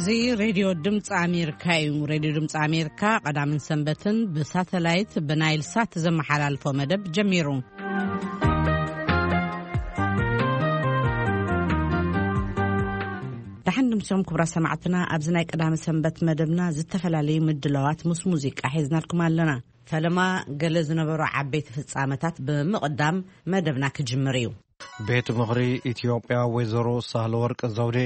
እዚ ሬድዮ ድምፂ ኣሜሪካ እዩ። ሬድዮ ድምፂ ኣሜሪካ ቀዳምን ሰንበትን ብሳተላይት ብናይል ሳት ዘመሓላልፎ መደብ ጀሚሩ። ደሓን ድምሶም ክቡራ ሰማዕትና፣ ኣብዚ ናይ ቀዳሚ ሰንበት መደብና ዝተፈላለዩ ምድላዋት ምስ ሙዚቃ ሒዝናልኩም ኣለና። ፈለማ ገለ ዝነበሩ ዓበይቲ ፍጻመታት ብምቕዳም መደብና ክጅምር እዩ። ቤት ምኽሪ ኢትዮጵያ ወይዘሮ ሳህለወርቅ ዘውዴ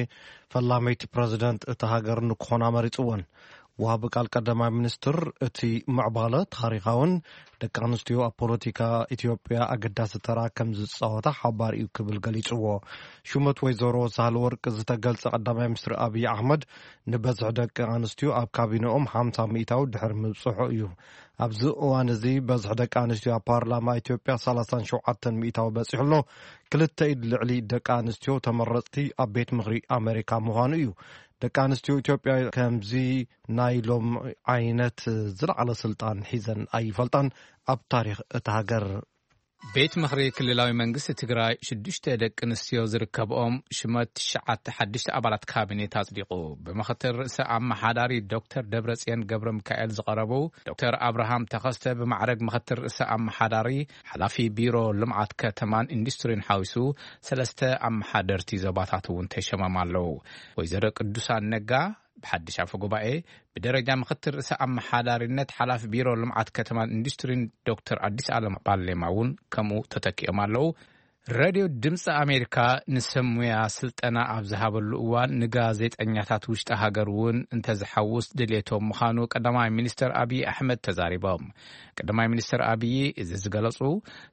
ፈላመይቲ ፕረዚደንት እታ ሃገር ንክኾና መሪጽወን። ወሃቢ ቃል ቀዳማይ ሚኒስትር እቲ ምዕባለ ታሪኻውን ደቂ ኣንስትዮ ኣብ ፖለቲካ ኢትዮጵያ ኣገዳሲ ተራ ከም ዝጻወታ ሓባር እዩ ክብል ገሊጽዎ። ሹመት ወይዘሮ ሳህለወርቅ ዝተገልጸ ቀዳማይ ሚኒስትር ኣብይ ኣሕመድ ንበዝሒ ደቂ ኣንስትዮ ኣብ ካቢነኦም ሓምሳ ሚእታዊ ድሕሪ ምብጽሑ እዩ። ኣብዚ እዋን እዚ በዝሒ ደቂ ኣንስትዮ ኣብ ፓርላማ ኢትዮጵያ ሰላሳን ሸውዓተን ሚእታዊ በጺሑ ኣሎ። ክልተ ኢድ ልዕሊ ደቂ ኣንስትዮ ተመረጽቲ ኣብ ቤት ምኽሪ ኣሜሪካ ምዃኑ እዩ። ደቂ ኣንስትዮ ኢትዮጵያ ከምዚ ናይ ሎም ዓይነት ዝለዓለ ስልጣን ሒዘን ኣይፈልጣን ኣብ ታሪኽ እታ ሃገር። ቤት ምኽሪ ክልላዊ መንግስቲ ትግራይ ሽዱሽተ ደቂ ኣንስትዮ ዝርከብኦም ሽመት ትሽዓተ ሓድሽተ ኣባላት ካቢኔት ኣጽዲቑ። ብምኽትል ርእሰ ኣመሓዳሪ ዶክተር ደብረጽዮን ገብረ ሚካኤል ዝቐረቡ ዶክተር ኣብርሃም ተኸስተ ብማዕረግ ምኽትል ርእሰ ኣመሓዳሪ፣ ሓላፊ ቢሮ ልምዓት ከተማን ኢንዱስትሪን ሓዊሱ ሰለስተ ኣመሓደርቲ ዞባታት እውን ተሸሞም ኣለዉ። ወይዘሮ ቅዱሳን ነጋ ብሓድሽ ኣፈ ጉባኤ፣ ብደረጃ ምኽትል ርእሰ ኣመሓዳሪነት ሓላፊ ቢሮ ልምዓት ከተማን ኢንዱስትሪን ዶክተር ኣዲስ ኣለም ባሌማ እውን ከምኡ ተተኪኦም ኣለዉ። ሬድዮ ድምፂ ኣሜሪካ ንሰብ ሙያ ስልጠና ኣብ ዝሃበሉ እዋን ንጋዜጠኛታት ውሽጢ ሃገር እውን እንተዝሓውስ ድሌቶም ምዃኑ ቀዳማይ ሚኒስተር ኣብይ ኣሕመድ ተዛሪቦም። ቀዳማይ ሚኒስተር ኣብይ እዚ ዝገለጹ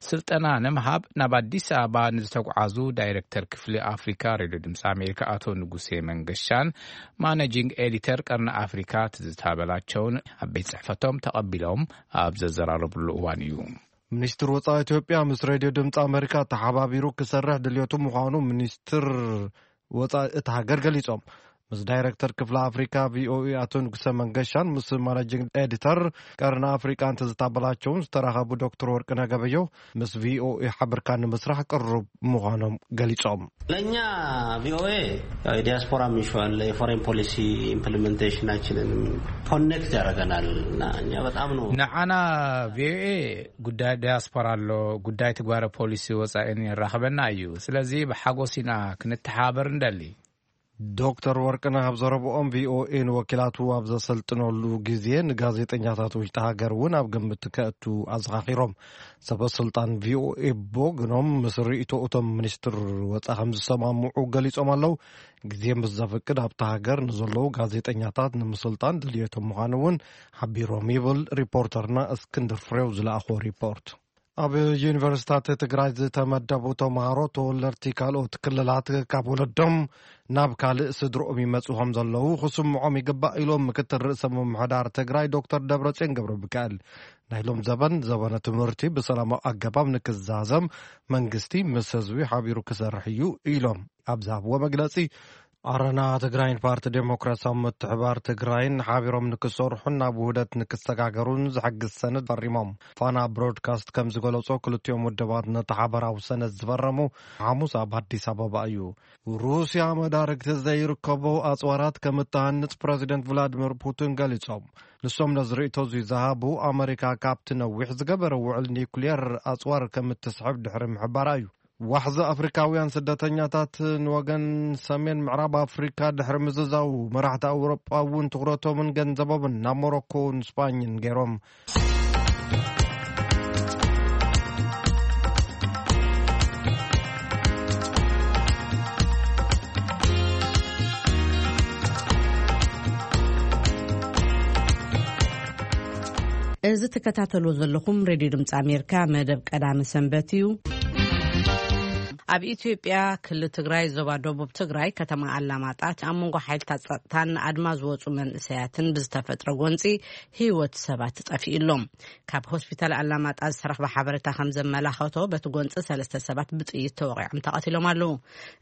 ስልጠና ንምሃብ ናብ ኣዲስ ኣበባ ንዝተጓዓዙ ዳይሬክተር ክፍሊ ኣፍሪካ ሬድዮ ድምፂ ኣሜሪካ ኣቶ ንጉሴ መንገሻን ማኔጂንግ ኤዲተር ቀርኒ ኣፍሪካ ትዝታ በላቸውን ኣብ ቤት ጽሕፈቶም ተቐቢሎም ኣብ ዘዘራረብሉ እዋን እዩ። ሚኒስትር ወጻኢ ኢትዮጵያ ምስ ሬድዮ ድምፂ ኣሜሪካ ተሓባቢሩ ክሰርሕ ድልየቱ ምዃኑ ሚኒስትር ወጻኢ እታ ሃገር ገሊጾም። ምስ ዳይሬክተር ክፍሊ ኣፍሪካ ቪኦኤ ኣቶ ንጉሰ መንገሻን ምስ ማኔጂንግ ኤዲተር ቀርኒ ኣፍሪቃ እንትዝታበላቸውን ዝተራኸቡ ዶክተር ወርቅነህ ገበየሁ ምስ ቪኦኤ ሓብርካ ንምስራሕ ቅሩብ ምዃኖም ገሊጾም። ለእኛ ቪኦኤ ያው የዲያስፖራ ሚሽን አለ፣ የፎሬን ፖሊሲ ኢምፕሊሜንቴሽናችንን ኮኔክት ያደርገናል እና እኛ በጣም ነው ንዓና ቪኦኤ ጉዳይ ዲያስፖራ ኣሎ፣ ጉዳይ ትግባረ ፖሊሲ ወጻኢን የራኽበና እዩ። ስለዚ ብሓጎስ ኢና ክንተሓባበር እንደሊ። ዶክተር ወርቅነህ ኣብ ዘረብኦም ቪኦኤ ንወኪላቱ ኣብ ዘሰልጥነሉ ግዜ ንጋዜጠኛታት ውሽጢ ሃገር እውን ኣብ ግምት ከእቱ ኣዘኻኺሮም። ሰበ ስልጣን ቪኦኤ ብወገኖም ምስ ርእይቶ እቶም ሚኒስትር ወፃ ከም ዝሰማምዑ ገሊጾም ኣለዉ። ግዜ ምስ ዘፍቅድ ኣብታ ሃገር ንዘለዉ ጋዜጠኛታት ንምስልጣን ድልየቶም ምዃኑ እውን ሓቢሮም ይብል ሪፖርተርና እስክንድር ፍሬው ዝለኣኾ ሪፖርት። ኣብ ዩኒቨርሲታት ትግራይ ዝተመደቡ ተምሃሮ ተወለድቲ ካልኦት ክልላት ካብ ወለዶም ናብ ካልእ ስድርኦም ይመጽኡ ከም ዘለዉ ክስምዖም ይግባእ ኢሎም ምክትል ርእሰ ምምሕዳር ትግራይ ዶክተር ደብረጽዮን ገብረ ሚካኤል። ናይ ሎም ዘበን ዘበነ ትምህርቲ ብሰላማዊ ኣገባብ ንክዛዘም መንግስቲ ምስ ህዝቢ ሓቢሩ ክሰርሕ እዩ ኢሎም ኣብ ዝሃብዎ መግለጺ፣ ኣረና ትግራይን ፓርቲ ዴሞክራሲያዊ ምትሕባር ትግራይን ሓቢሮም ንክሰርሑን ናብ ውህደት ንክሰጋገሩን ዝሕግዝ ሰነድ ፈሪሞም። ፋና ብሮድካስት ከም ዝገለጾ ክልቲኦም ውድባት ነቲ ሓበራዊ ሰነድ ዝፈረሙ ሓሙስ ኣብ ኣዲስ ኣበባ እዩ። ሩስያ መዳርግቲ ዘይርከቦ ኣጽዋራት ከም እትሃንጽ ፕረዚደንት ቭላድሚር ፑቲን ገሊጾም። ንሶም ነዚ ርእይቶ እዚ ዝሃቡ ኣመሪካ ካብቲ ነዊሕ ዝገበረ ውዕል ኒውክልየር ኣጽዋር ከም እትስሕብ ድሕሪ ምሕባራ እዩ። ዋሕዚ ኣፍሪካውያን ስደተኛታት ንወገን ሰሜን ምዕራብ ኣፍሪካ ድሕሪ ምዝዛው መራሕቲ ኣውሮጳ እውን ትኹረቶምን ገንዘቦምን ናብ ሞሮኮን ስፓኝን ገይሮም። እዚ ትከታተሉ ዘለኹም ሬድዮ ድምፂ ኣሜሪካ መደብ ቀዳሚ ሰንበት እዩ። ኣብ ኢትዮጵያ ክልል ትግራይ ዞባ ደቡብ ትግራይ ከተማ ኣላማጣ ኣብ መንጎ ሓይልታት ጸጥታን ኣድማ ዝወፁ መንእሰያትን ብዝተፈጥረ ጎንፂ ህይወት ሰባት ጠፊኡ ኣሎ። ካብ ሆስፒታል ኣላማጣ ዝተረኽበ ሓበሬታ ከም ዘመላኸቶ በቲ ጎንፂ ሰለስተ ሰባት ብጥይት ተወቒዖም ተቐቲሎም ኣለዉ።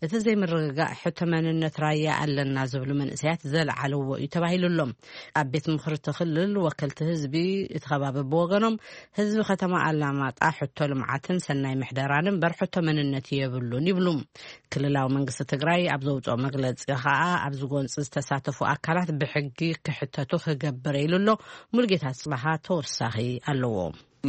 እቲ ዘይምርግጋእ ሕቶ መንነት ራያ ኣለና ዝብሉ መንእሰያት ዘለዓለዎ እዩ ተባሂሉ ኣሎ። ኣብ ቤት ምኽሪ እቲ ክልል ወከልቲ ህዝቢ እቲ ከባቢ ብወገኖም ህዝቢ ከተማ ኣላማጣ ሕቶ ልምዓትን ሰናይ ምሕደራን እምበር ሕቶ መንነት የብሉ የብሉን ይብሉ። ክልላዊ መንግስቲ ትግራይ ኣብ ዘውፅኦ መግለፂ ከዓ ኣብዚ ጎንፂ ዝተሳተፉ ኣካላት ብሕጊ ክሕተቱ ክገብር ኢሉ ኣሎ። ሙልጌታ ፅባሃ ተወሳኺ ኣለዎ።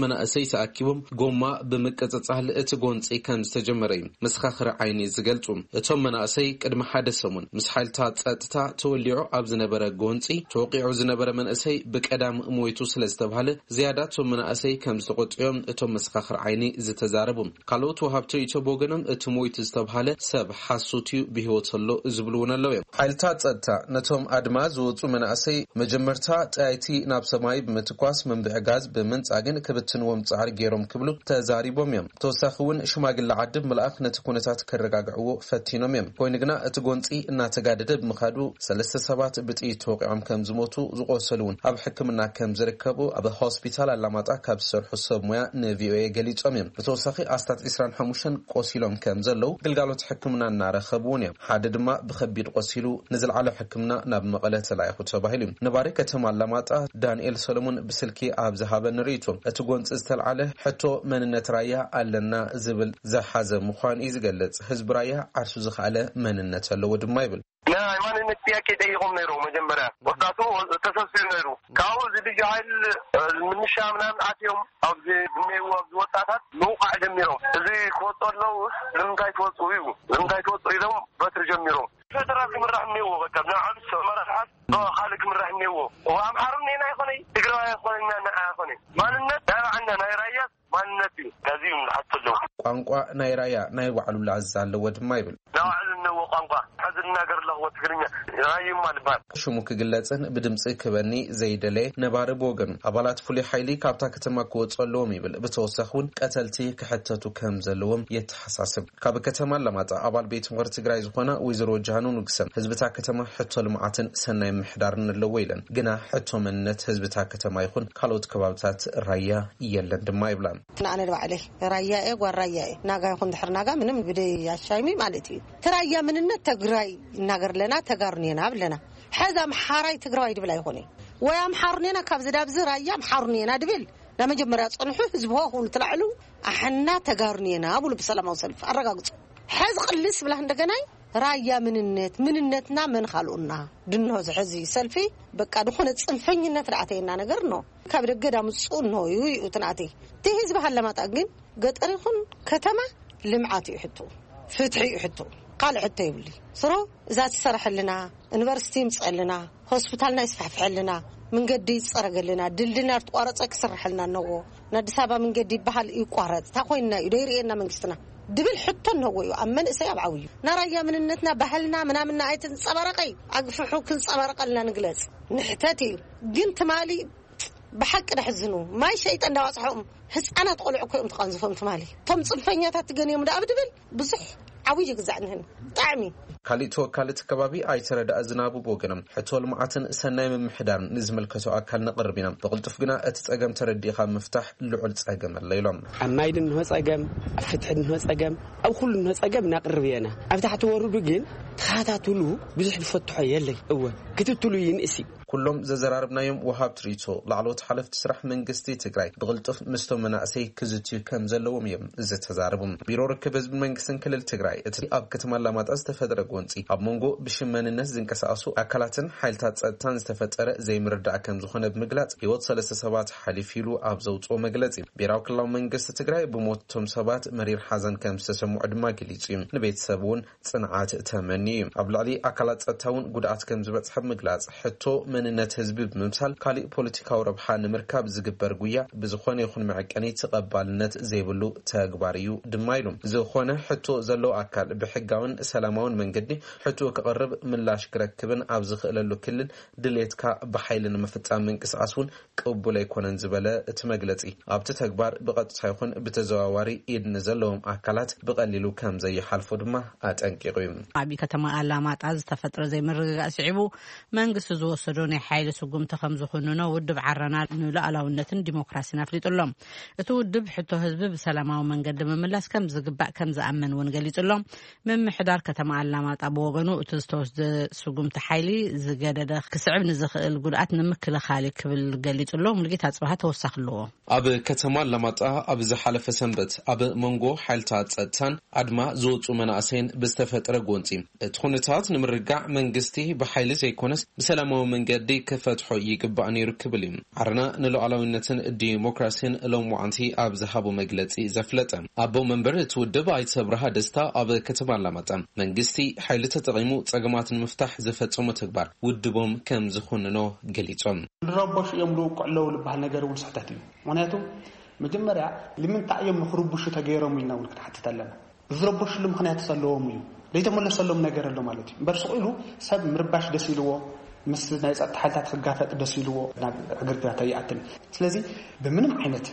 መናእሰይ ተኣኪቦም ጎማ ብምቅፅፃል እቲ ጎንፂ ከም ዝተጀመረ እዩ መሰኻኽሪ ዓይኒ ዝገልፁ። እቶም መናእሰይ ቅድሚ ሓደ ሰሙን ምስ ሓይልታት ፀጥታ ተወሊዑ ኣብ ዝነበረ ጎንፂ ተወቂዑ ዝነበረ መንእሰይ ብቀዳም ሞይቱ ስለ ዝተባሃለ ዝያዳ እቶም መናእሰይ ከም ዝተቆጥዮም እቶም መሰኻኽሪ ዓይኒ ዝተዛረቡ። ካልኦት ወሃብቲ ሪኢቶ ብወገኖም እቲ ሞይቱ ዝተባሃለ ሰብ ሓሶት እዩ ብህይወት ኣሎ ዝብሉ እውን ኣለዉ እዮም። ሓይልታት ፀጥታ ነቶም ኣድማ ዝወፁ መናእሰይ መጀመርታ ጠያይቲ ናብ ሰማይ ብምትኳስ መንብዒ ጋዝ ብምንፃግን ክብትንዎም ፃዕሪ ገይሮም ክብሉ ተዛሪቦም እዮም። ተወሳኺ እውን ሽማግለ ዓዲ ብምልኣኽ ነቲ ኩነታት ከረጋግዕዎ ፈቲኖም እዮም። ኮይኑ ግና እቲ ጎንፂ እናተጋደደ ብምኻዱ ሰለስተ ሰባት ብጥይት ተወቂዖም ከም ዝሞቱ፣ ዝቆሰሉ እውን ኣብ ሕክምና ከም ዝርከቡ ኣብ ሆስፒታል ኣላማጣ ካብ ዝሰርሑ ሰብ ሞያ ንቪኦኤ ገሊፆም እዮም። ብተወሳኺ ኣስታት ዕስራን ሓሙሽተን ቆሲሎም ከም ዘለዉ ግልጋሎት ሕክምና እናረኸቡ እውን እዮም። ሓደ ድማ ብኸቢድ ቆሲሉ ንዝለዓለ ሕክምና ናብ መቐለ ተላኢኹ ተባሂሉ እዩ። ነባሪ ከተማ ኣላማጣ ዳንኤል ሰሎሞን ብስልኪ ኣብ ዝሃበኒ ርእይቶ፣ እቲ ጎንፂ ዝተልዓለ ሕቶ መንነት ራያ ኣለና ዝብል ዝሓዘ ምዃኑ እዩ ዝገልጽ። ህዝቢ ራያ ዓርሱ ዝኸኣለ መንነት ኣለዎ ድማ ይብል። ናይ ማንነት ጥያቄ ጠይቆም ነይሩ። መጀመርያ ወጣቱ ተሰብሲቡ ነይሩ። ካብኡ እዚ ልዩ ሓይል፣ እ፣ ምንሻ ምናምን ኣትዮም ኣብዚ ዝኔዉ ኣብዚ ወጣታት ምውቃዕ ጀሚሮም። እዚ ክወጡ ኣለዉ ንምንታይ ትወፁ እዩ፣ ንምንታይ ትወፁ ኢሎም በትሪ ጀሚሮም። ፌደራል ክምራሕ እኒዎ፣ በቃ ብናይ ዓብዪ መራሕት ብኻልእ ክምራሕ እኒዎ። እዋ ኣምሓሩ እኒና ይኾነይ፣ ትግራዋይ ኣይኮነና፣ ንዓ ኣይኮነይ። ማንነት ናይ ባዕልና ናይ ራያ ማንነት እዩ። ከዚ እዩ ዝሓቱ ኣለዉ። ቋንቋ ናይ ራያ ናይ ባዕሉ ላዛ ኣለዎ ድማ ይብል። ናይ ባዕሉ እነዎ ቋንቋ፣ ሕዚ ዝናገር ኣለኽዎ ትግርኛ፣ ራዩማ ዝበሃል። ሽሙ ክግለጽን ብድምጺ ክበኒ ዘይደለየ ነባሪ ብወገኑ፣ ኣባላት ፍሉይ ሓይሊ ካብታ ከተማ ክወጹ ኣለዎም ይብል። ብተወሳኺ እውን ቀተልቲ ክሕተቱ ከም ዘለዎም የተሓሳስብ። ካብ ከተማ ኣላማጣ ኣባል ቤት ምኽሪ ትግራይ ዝኾና ወይዘሮ ጃኑ ንጉሰ፣ ህዝብታ ከተማ ሕቶ ልምዓትን ሰናይ ምሕዳርን ኣለዎ ኢለን። ግና ሕቶ መንነት ህዝብታ ከተማ ይኹን ካልኦት ከባብታት ራያ የለን ድማ ይብላ። ንኣነ ንባዕለይ ራያ እየ፣ ጓል ራያ እየ። ናጋ ይኹን ድሕር ናጋ ምንም ብደይ ኣሻይሚ ማለት እዩ። እቲ ራያ ምንነት ትግራይ እናገር ኣለና፣ ተጋሩን እየና ብለና። ሕዚ ኣምሓራይ ትግራዋይ ድብል ኣይኾነ። ወይ ኣምሓሩን እየና፣ ካብዚ ዳብዚ ራያ ኣምሓሩን እየና ድብል። ናብ መጀመርያ ጸንሑ ህዝቢ ሆ ክብሉ ትላዕሉ፣ ኣሕና ተጋሩን እየና ብሉ ብሰላማዊ ሰልፊ ኣረጋግጹ። ሕዚ ቅልስ ብላ እንደገናይ ራያ ምንነት፣ ምንነትና መን ካልኡና? ድንሆ ዝሕዚ ሰልፊ በቃ ዝኾነ ጽንፈኝነት ደኣ ኣተየና ነገር ነው። ካብ ደገ ዳምጽኡ ነው እዩ እዩ ትናተይ። እቲ ህዝቢ ሃለማጣ ግን ገጠር ይኹን ከተማ ልምዓት እዩ ሕቶ፣ ፍትሒ እዩ ሕቶ፣ ካልእ ሕቶ የብሉ። ስሮ እዛ ትሰርሐልና፣ ዩኒቨርሲቲ ይምጸልና፣ ሆስፒታልና ይስፋሕፍሐልና፣ መንገዲ ይጸረገልና፣ ድልድልና ዝተቋረጸ ክስርሐልና እነዎ። ንኣዲስ ኣበባ መንገዲ ይበሃል ይቋረጽ። እታ ኮይንና እዩ፣ ደይርእየና መንግስትና ድብል ሕቶ እነዎ እዩ፣ ኣብ መንእሰይ ኣብ ዓብዩ። ናራያ ምንነትና፣ ባህልና፣ ምናምንና ኣይትንጸባረቀይ፣ ኣግፍሑ ክንጸባረቀልና ንግለጽ። ንሕተት እዩ። ግን ትማሊ ብሓቂ ደሕዝኑ። ማይ ሸይጠ እንዳዋጽሖም ህፃናት ቆልዑ እኮ እዮም ተቐንዝፎም ትማሊ። እቶም ጽንፈኛታት ትገንዮም ደኣ ብድብል ብዙሕ ዓብዩ ግዛዕ ንህን። ብጣዕሚ። ካሊእ ተወካሊ እቲ ከባቢ ኣይተረዳእ ዝናቡ ብወገኖም፣ ሕቶ ልምዓትን ሰናይ ምምሕዳርን ንዝምልከቶ ኣካል ነቕርብ ኢና። ብቕልጡፍ ግና እቲ ጸገም ተረዲእኻ ምፍታሕ ልዑል ጸገም ኣሎ ኢሎም። ኣብ ማይ ድንሆ ጸገም፣ ኣብ ፍትሒ ድንሆ ጸገም፣ ኣብ ኩሉ ድንሆ ጸገም እናቕርብ እየና። ኣብ ታሕቲ ወርዱ ግን ተኸታትሉ ብዙሕ ዝፈትሖ የለይ። እወ፣ ክትትሉ ይንእስ እዩ። ኩሎም ዘዘራርብናዮም ወሃብቲ ሪቶ ላዕለዎት ሓለፍቲ ስራሕ መንግስቲ ትግራይ ብቕልጡፍ ምስቶም መናእሰይ ክዝትዩ ከም ዘለዎም እዮም ዝተዛረቡ። ቢሮ ርክብ ህዝቢ መንግስትን ክልል ትግራይ እቲ ኣብ ከተማ ኣላማጣ ዝተፈጠረ ጎንፂ ኣብ መንጎ ብሽም መንነት ዝንቀሳቐሱ ኣካላትን ሓይልታት ፀጥታን ዝተፈጠረ ዘይምርዳእ ከም ዝኾነ ብምግላፅ ህይወት ሰለስተ ሰባት ሓሊፉ ኢሉ ኣብ ዘውፅኦ መግለፂ ብሄራዊ ክልላዊ መንግስቲ ትግራይ ብሞቶም ሰባት መሪር ሓዘን ከም ዝተሰምዖ ድማ ገሊፁ እዩ። ንቤተሰብ እውን ፅንዓት ተመንዩ እዩ። ኣብ ልዕሊ ኣካላት ጸጥታ እውን ጉድኣት ከም ዝበጽሐ ብምግላጽ፣ ሕቶ መንነት ህዝቢ ብምምሳል ካሊእ ፖለቲካዊ ረብሓ ንምርካብ ዝግበር ጉያ ብዝኾነ ይኹን መዐቀኒ ተቐባልነት ዘይብሉ ተግባር እዩ ድማ ኢሉ። ዝኾነ ሕቶ ዘለዎ ኣካል ብሕጋውን ሰላማውን መንገዲ ሕቶ ክቕርብ ምላሽ ክረክብን ኣብ ዝኽእለሉ ክልል ድሌትካ ብሓይሊ ንምፍጻም ምንቅስቓስ እውን ቅቡል ኣይኮነን ዝበለ እቲ መግለጺ፣ ኣብቲ ተግባር ብቐጥታ ይኹን ብተዘዋዋሪ ኢድ ንዘለዎም ኣካላት ብቐሊሉ ከም ዘይሓልፎ ድማ ኣጠንቂቑ እዩ። ኣብ ከተማ ኣላማጣ ዝተፈጥረ ዘይምርግጋእ ስዒቡ መንግስቲ ዝወሰዶ ናይ ሓይሊ ስጉምቲ ከም ዝኹንኖ ውድብ ዓረና ንሉዓላውነትን ዲሞክራሲን ኣፍሊጡ ኣሎ። እቲ ውድብ ሕቶ ህዝቢ ብሰላማዊ መንገዲ ምምላስ ከም ዝግባእ ከም ዝኣምን እውን ገሊጹ ኣሎ። ምምሕዳር ከተማ ኣላማጣ ብወገኑ እቲ ዝተወስደ ስጉምቲ ሓይሊ ዝገደደ ክስዕብ ንዝኽእል ጉድኣት ንምክልኻል እዩ ክብል ገሊጹ ኣሎ። ሙሉጌታ ኣጽብሃ ተወሳኺ ኣለዎ። ኣብ ከተማ ኣላማጣ ኣብ ዝሓለፈ ሰንበት ኣብ መንጎ ሓይልታት ጸጥታን ኣድማ ዝወጹ መናእሰይን ብዝተፈጥረ ጎንጺ እቲ ኩነታት ንምርጋዕ መንግስቲ ብሓይሊ ዘይኮነስ ብሰላማዊ መንገዲ ክፈትሖ ይግባእ ነይሩ ክብል እዩ ዓረና ንሉዓላዊነትን ዲሞክራሲን ሎምዓንቲ ኣብ ዝሃቦ መግለጺ ዘፍለጠ። ኣቦ መንበር እቲ ውድብ ኣይተ ኣብርሃ ደስታ ኣብ ከተማ ኣላማጣ መንግስቲ ሓይሊ ተጠቒሙ ጸገማት ንምፍታሕ ዝፈጸሞ ተግባር ውድቦም ከም ዝኹንኖ ገሊጾም። ዝረበሹ እዮም ልውቁዕ ኣለዉ ዝበሃል ነገር እውን ስሕተት እዩ። ምክንያቱ መጀመርያ ንምንታይ እዮም ንክርብሹ ተገይሮም ኢልና እውን ክንሓትት ኣለና። ዝረበሽሉ ምክንያት ዘለዎም እዩ። ዘይተመለሰሎም ነገር ኣሎ ማለት እዩ። እምበር ስቕ ኢሉ ሰብ ምርባሽ ደስ ኢልዎ፣ ምስ ናይ ጸጥታ ሓይልታት ክጋፈጥ ደስ ኢልዎ ናብ ዕግርግራት ኣይኣትን። ስለዚ ብምንም ዓይነት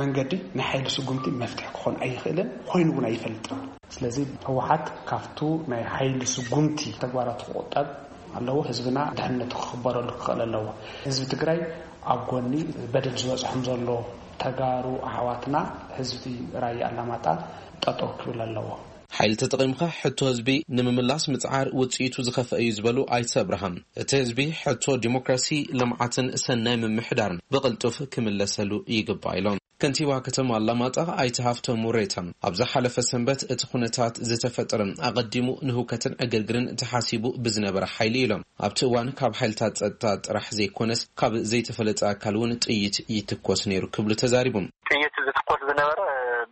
መንገዲ ናይ ሓይሊ ስጉምቲ መፍትሒ ክኾን ኣይኽእልን፣ ኮይኑ እውን ኣይፈልጥን። ስለዚ ህወሓት ካብቱ ናይ ሓይሊ ስጉምቲ ተግባራቱ ክቑጠብ ኣለዎ። ህዝብና ድሕነቱ ክኽበረሉ ክኽእል ኣለዎ። ህዝቢ ትግራይ ኣብ ጎኒ በደል ዝበፅሖም ዘሎ ተጋሩ ኣሕዋትና ህዝቢ ራያ ኣላማጣ ጠጠው ክብል ኣለዎ። ሓይሊ ተጠቒምካ ሕቶ ህዝቢ ንምምላስ ምፅዓር ውፅኢቱ ዝኸፍአ እዩ ዝበሉ ኣይተ ኣብርሃም፣ እቲ ህዝቢ ሕቶ ዲሞክራሲ፣ ልምዓትን ሰናይ ምምሕዳርን ብቕልጡፍ ክምለሰሉ ይግባእ ኢሎም። ከንቲባ ከተማ ኣላማጣ ኣይተ ሃፍቶም ሙሬታ ኣብ ዝሓለፈ ሰንበት እቲ ኩነታት ዝተፈጠረ ኣቐዲሙ ንህውከትን ዕግርግርን ተሓሲቡ ብዝነበረ ሓይሊ ኢሎም። ኣብቲ እዋን ካብ ሓይልታት ጸጥታ ጥራሕ ዘይኮነስ ካብ ዘይተፈለጠ ኣካል እውን ጥይት ይትኮስ ነይሩ ክብሉ ተዛሪቦም። ጥይት ዝትኮስ ዝነበረ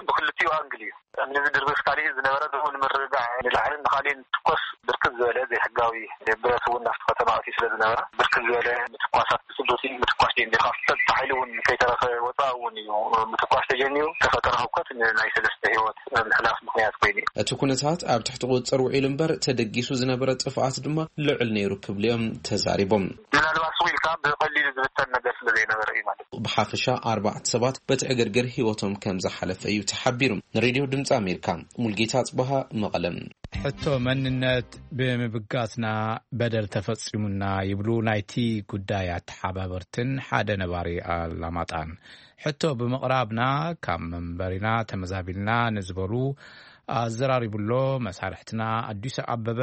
ብክልቲኡ ኣንግል እዩ። እምኒ ዝድርብስ ካሊእ ዝነበረ፣ ደሞ ንምርግጋዕ ንላዕልን ንኻሊእን ትኮስ ብርክት ዝበለ ዘይሕጋዊ ብረት እውን ናብቲ ከተማ ኣትዩ ስለ ዝነበረ፣ ብርክት ዝበለ ምትኳሳት ብስሉቲ ምትኳስ ጀሚሩ። ካብ ጸጥታ ሓይሊ እውን ከይተረፈ ወፃእ እውን እዩ ምትኳስ ተጀሚሩ። ተፈጠረ ህውከት ንናይ ሰለስተ ህይወት ምሕላፍ ምኽንያት ኮይኑ እዩ። እቲ ኩነታት ኣብ ትሕቲ ቁፅፅር ውዒሉ እምበር ተደጊሱ ዝነበረ ጥፍኣት ድማ ልዑል ነይሩ ክብሉ እዮም ተዛሪቦም። ምናልባት ስቕ ኢልካ ብቐሊሉ ዝብተን ነገር ስለ ዘይነበረ እዩ ማለት እዩ። ብሓፈሻ ኣርባዕተ ሰባት በቲ ዕግርግር ህይወቶም ከም ዝሓለፈ እዩ ተሓቢሩ። ንሬድዮ ድምፂ ኣሜሪካ ሙልጌታ ኣፅበሃ መቐለም። ሕቶ መንነት ብምብጋስና በደል ተፈጺሙና ይብሉ ናይቲ ጉዳይ ኣተሓባበርትን ሓደ ነባሪ ኣላማጣን። ሕቶ ብምቕራብና ካብ መንበሪና ተመዛቢልና ንዝበሉ ኣዘራሪቡሎ መሳርሕትና ኣዲሱ ኣበበ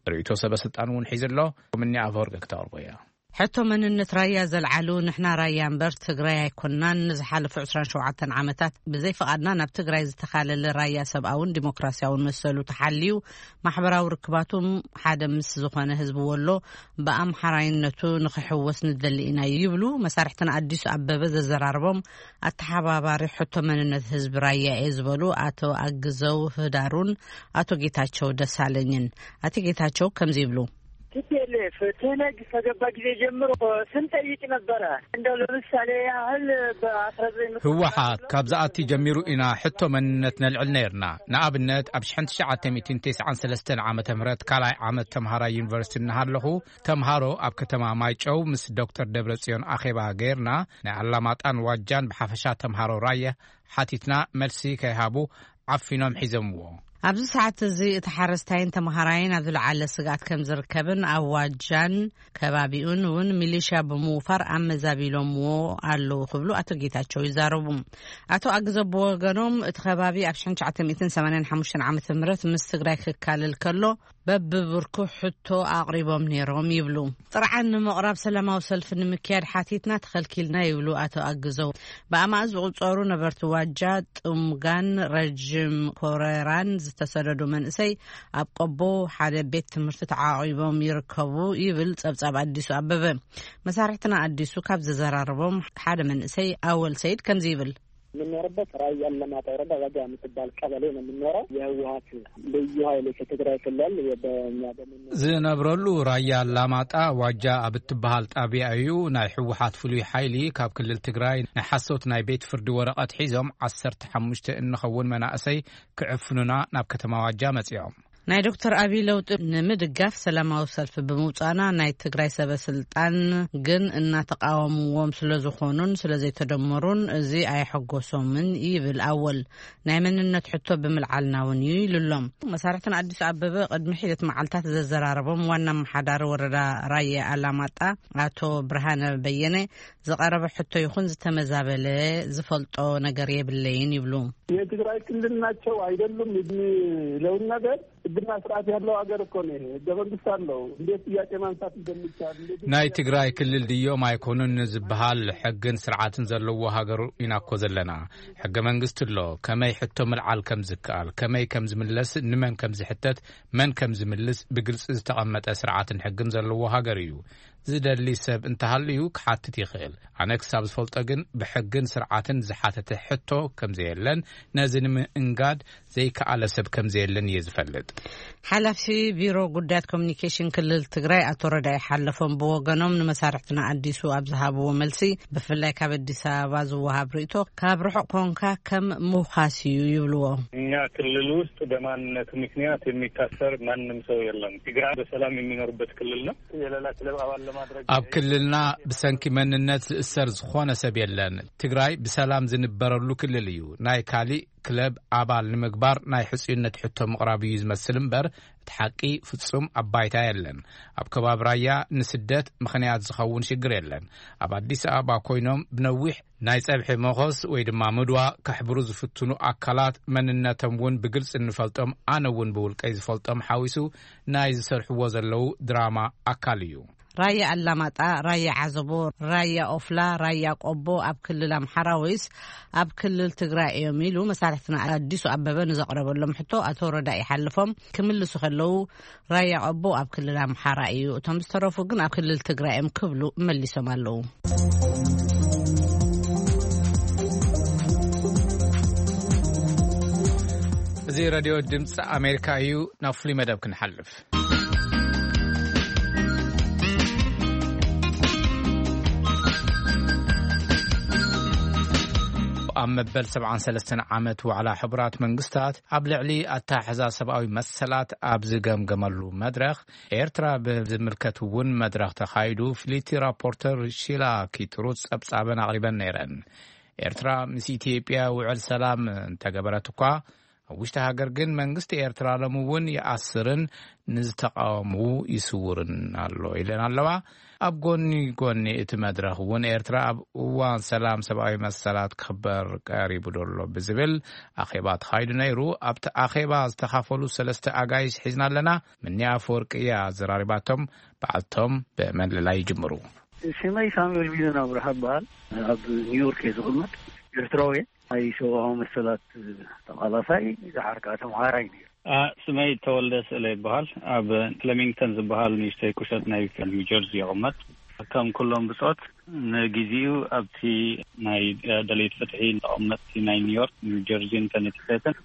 ርእይቶ ሰበ ስልጣን እውን ሒዙ ኣሎ። ከምኒ ኣፈወርቂ ክተቕርቦ እያ። ሕቶ መንነት ራያ ዘልዓሉ ንሕና ራያ እምበር ትግራይ ኣይኮንናን። ንዝሓለፉ ዕስራን ሸውዓተን ዓመታት ብዘይ ፍቓድና ናብ ትግራይ ዝተኻለለ ራያ ሰብኣውን ዲሞክራሲያውን መሰሉ ተሓልዩ ማሕበራዊ ርክባቱ ሓደ ምስ ዝኾነ ህዝቢ ወሎ ብኣምሓራይነቱ ንኽሕወስ ንደሊ ኢና ይብሉ መሳርሕትና ኣዲሱ ኣበበ ዘዘራርቦም ኣተሓባባሪ ሕቶ መንነት ህዝቢ ራያ እየ ዝበሉ ኣቶ ኣግዘው ህዳሩን ኣቶ ጌታቸው ደሳለኝን። ኣቶ ጌታቸው ከምዚ ይብሉ። ቲ ፒ ኤል ኤፍ ትህነግ ከገባ ጊዜ ጀምሮ ስንጠይቅ ነበረ። እንደው ለምሳሌ ያህል በአስራ ዘጠኝ መቶ ህወሓት ካብ ዝኣቲ ጀሚሩ ኢና ሕቶ መንነት ነልዕል ነይርና። ንኣብነት ኣብ ሽሕን ትሽዓተ ሚእትን ተስዓን ሰለስተን ዓመተ ምህረት ካልኣይ ዓመት ተምሃራይ ዩኒቨርሲቲ እናሃለኹ ተምሃሮ ኣብ ከተማ ማይጨው ምስ ዶክተር ደብረጽዮን ኣኼባ ገይርና ናይ ኣላማጣን ዋጃን ብሓፈሻ ተምሃሮ ራየ ሓቲትና መልሲ ከይሃቡ ዓፊኖም ሒዞምዎ። ኣብዚ ሰዓት እዚ እቲ ሓረስታይን ተምሃራይን ኣብ ዝለዓለ ስግኣት ከም ዝርከብን ኣብ ዋጃን ከባቢኡን እውን ሚሊሻ ብምውፋር ኣመዛቢሎምዎ ኣለዉ ክብሉ ኣቶ ጌታቸው ይዛረቡ። ኣቶ ኣግዘ ብወገኖም እቲ ከባቢ ኣብ ሽሕን ትሽዓተ ሚእትን ሰማንያን ሓሙሽተን ዓመተ ምህረት ምስ ትግራይ ክካለል ከሎ በብብርኩ ሕቶ ኣቕሪቦም ነይሮም ይብሉ። ጥርዓን ንምቕራብ ሰላማዊ ሰልፊ ንምክያድ ሓቲትና ተኸልኪልና ይብሉ ኣቶ ኣግዘው። ብኣማእት ዝቑጸሩ ነበርቲ ዋጃ፣ ጥሙጋን ረጅም ኮረራን ዝተሰደዱ መንእሰይ ኣብ ቆቦ ሓደ ቤት ትምህርቲ ተዓቒቦም ይርከቡ ይብል ጸብጻብ ኣዲሱ ኣበበ። መሳርሕትና ኣዲሱ ካብ ዘዘራረቦም ሓደ መንእሰይ ኣወል ሰይድ ከምዚ ይብል። የምንኖርበት ራያ አላማጣ ወረዳ ዋጃ የምትባል ቀበሌ ነው የምንኖረው። የህወሀት ልዩ ኃይል ከትግራይ ክልል በእኛ በምንኖር ዝነብረሉ ራያ አላማጣ ዋጃ ኣብ እትበሃል ጣብያ እዩ። ናይ ህወሓት ፍሉይ ሓይሊ ካብ ክልል ትግራይ ናይ ሓሶት ናይ ቤት ፍርዲ ወረቐት ሒዞም ዓሰርተ ሓሙሽተ እንኸውን መናእሰይ ክዕፍኑና ናብ ከተማ ዋጃ መፂኦም። ናይ ዶክተር ኣብይ ለውጢ ንምድጋፍ ሰላማዊ ሰልፊ ብምውጻእና፣ ናይ ትግራይ ሰበ ስልጣን ግን እናተቃወምዎም ስለ ዝኾኑን ስለ ዘይተደመሩን፣ እዚ ኣየሐጎሶምን ይብል ኣወል። ናይ መንነት ሕቶ ብምልዓልና እውን እዩ ኢሉ ኣሎ። መሳርሕትን ኣዲስ ኣበበ ቅድሚ ሒደት መዓልታት ዘዘራረቦም ዋና ኣመሓዳሪ ወረዳ ራየ ኣላማጣ ኣቶ ብርሃነ በየነ፣ ዝቐረበ ሕቶ ይኹን ዝተመዛበለ ዝፈልጦ ነገር የብለይን ይብሉ። የትግራይ ክልል ናቸው አይደሉም የሚለውን ነገር፣ ህግና ስርዓት ያለው ሀገር እኮ ነው። ይሄ ህገ መንግስት አለው። እንዴት ጥያቄ ማንሳት እንደሚቻል፣ እንዴት ናይ ትግራይ ክልል ድዮም ኣይኮኑን ዝበሃል ሕግን ስርዓትን ዘለዎ ሃገር ኢና እኮ ዘለና። ሕገ መንግስቲ ኣሎ። ከመይ ሕቶ ምልዓል ከም ዝከኣል፣ ከመይ ከም ዝምለስ፣ ንመን ከም ዝሕተት፣ መን ከም ዝምልስ ብግልፂ ዝተቐመጠ ስርዓትን ሕግን ዘለዎ ሃገር እዩ። ዝደሊ ሰብ እንተሃልዩ ክሓትት ይኽእል። ኣነ ክሳብ ዝፈልጦ ግን ብሕግን ስርዓትን ዝሓተተ ሕቶ ከም ዘየለን፣ ነዚ ንምእንጋድ ዘይከኣለ ሰብ ከም ዘየለን እየ ዝፈልጥ። ሓላፊ ቢሮ ጉዳያት ኮሚኒኬሽን ክልል ትግራይ ኣቶ ረዳኢ ሓለፎም ብወገኖም፣ ንመሳርሕትና ኣዲሱ ኣብ ዝሃብዎ መልሲ፣ ብፍላይ ካብ ኣዲስ ኣበባ ዝወሃብ ርእይቶ ካብ ርሑቕ ኮንካ ከም ምውኻስ እዩ ይብልዎ። እኛ ክልል ውስጥ በማንነቱ ምክንያት የሚታሰር ማንም ሰው የለም። ትግራይ በሰላም የሚኖርበት ክልል ነው። የሌላ ክለብ አባል ለማድረግ ኣብ ክልልና ብሰንኪ መንነት ዝእሰር ዝኾነ ሰብ የለን። ትግራይ ብሰላም ዝንበረሉ ክልል እዩ። ናይ ካሊእ ክለብ ኣባል ንምግባር ናይ ሕጽዩነት ሕቶ ምቕራብ እዩ ዝመስል እምበር፣ እቲ ሓቂ ፍጹም ኣብ ባይታ የለን። ኣብ ከባቢ ራያ ንስደት ምኽንያት ዝኸውን ሽግር የለን። ኣብ ኣዲስ ኣበባ ኮይኖም ብነዊሕ ናይ ጸብሒ መኾስ ወይ ድማ ምድዋ ከሕብሩ ዝፍትኑ ኣካላት፣ መንነቶም እውን ብግልጺ እንፈልጦም፣ ኣነ እውን ብውልቀይ ዝፈልጦም ሓዊሱ፣ ናይ ዝሰርሕዎ ዘለዉ ድራማ ኣካል እዩ። ራያ ኣላማጣ፣ ራያ ዓዘቦ፣ ራያ ኦፍላ፣ ራያ ቆቦ ኣብ ክልል ኣምሓራ ወይስ ኣብ ክልል ትግራይ እዮም ኢሉ መሳርሕትና ኣዲሱ ኣበበ ንዘቕረበሎም ሕቶ፣ ኣቶ ረዳኢ ሓለፎም ክምልሱ ከለዉ፣ ራያ ቆቦ ኣብ ክልል ኣምሓራ እዩ፣ እቶም ዝተረፉ ግን ኣብ ክልል ትግራይ እዮም ክብሉ መሊሶም ኣለዉ። እዚ ሬድዮ ድምፂ ኣሜሪካ እዩ። ናብ ፍሉይ መደብ ክንሓልፍ። ኣብ መበል ሰብዓን ሰለስተን ዓመት ዋዕላ ሕቡራት መንግስታት፣ ኣብ ልዕሊ ኣተሓሕዛ ሰብኣዊ መሰላት ኣብ ዝገምገመሉ መድረኽ፣ ኤርትራ ብዝምልከት እውን መድረኽ ተኻይዱ። ፍልይቲ ራፖርተር ሺላ ኪትሩት ጸብጻበን ኣቕሪበን ነይረን። ኤርትራ ምስ ኢትዮጵያ ውዕል ሰላም እንተገበረት እኳ፣ ኣብ ውሽጢ ሃገር ግን መንግስቲ ኤርትራ ሎሚ እውን ይኣስርን ንዝተቃወሙ ይስውርን ኣሎ ኢለን ኣለዋ። ኣብ ጎኒ ጎኒ እቲ መድረኽ እውን ኤርትራ ኣብ እዋን ሰላም ሰብኣዊ መሰላት ክኽበር ቀሪቡ ደሎ ብዝብል ኣኼባ ተኻይዱ ነይሩ። ኣብቲ ኣኼባ ዝተኻፈሉ ሰለስተ ኣጋይሽ ሒዝና ኣለና። ምኒ ኣፈወርቂ እያ ኣዘራሪባቶም። በዓልቶም ብመለላይ ይጅምሩ። ሽመይ ሳሙኤል ቢዘን ኣብርሃ እበሃል። ኣብ ኒውዮርክ እየ ዝቕመጥ። ኤርትራዊ እየ። ናይ ሰብኣዊ መሰላት ተቓላሳይ፣ ደሓር ከኣ ተምሃራይ ነይረ። አ፣ ስመይ ተወልደ ስእለ ይበሃል። ኣብ ፍለሚንግተን ዝበሃል ንእሽተይ ቁሸት ናይ ኒው ጀርዚ ይቕመጥ። ከም ኩሎም ብጾት፣ ንግዜኡ ኣብቲ ናይ ደለይቲ ፍትሒ ተቐመጥቲ ናይ ኒውዮርክ፣ ኒው ጀርዚን ከነቲከትን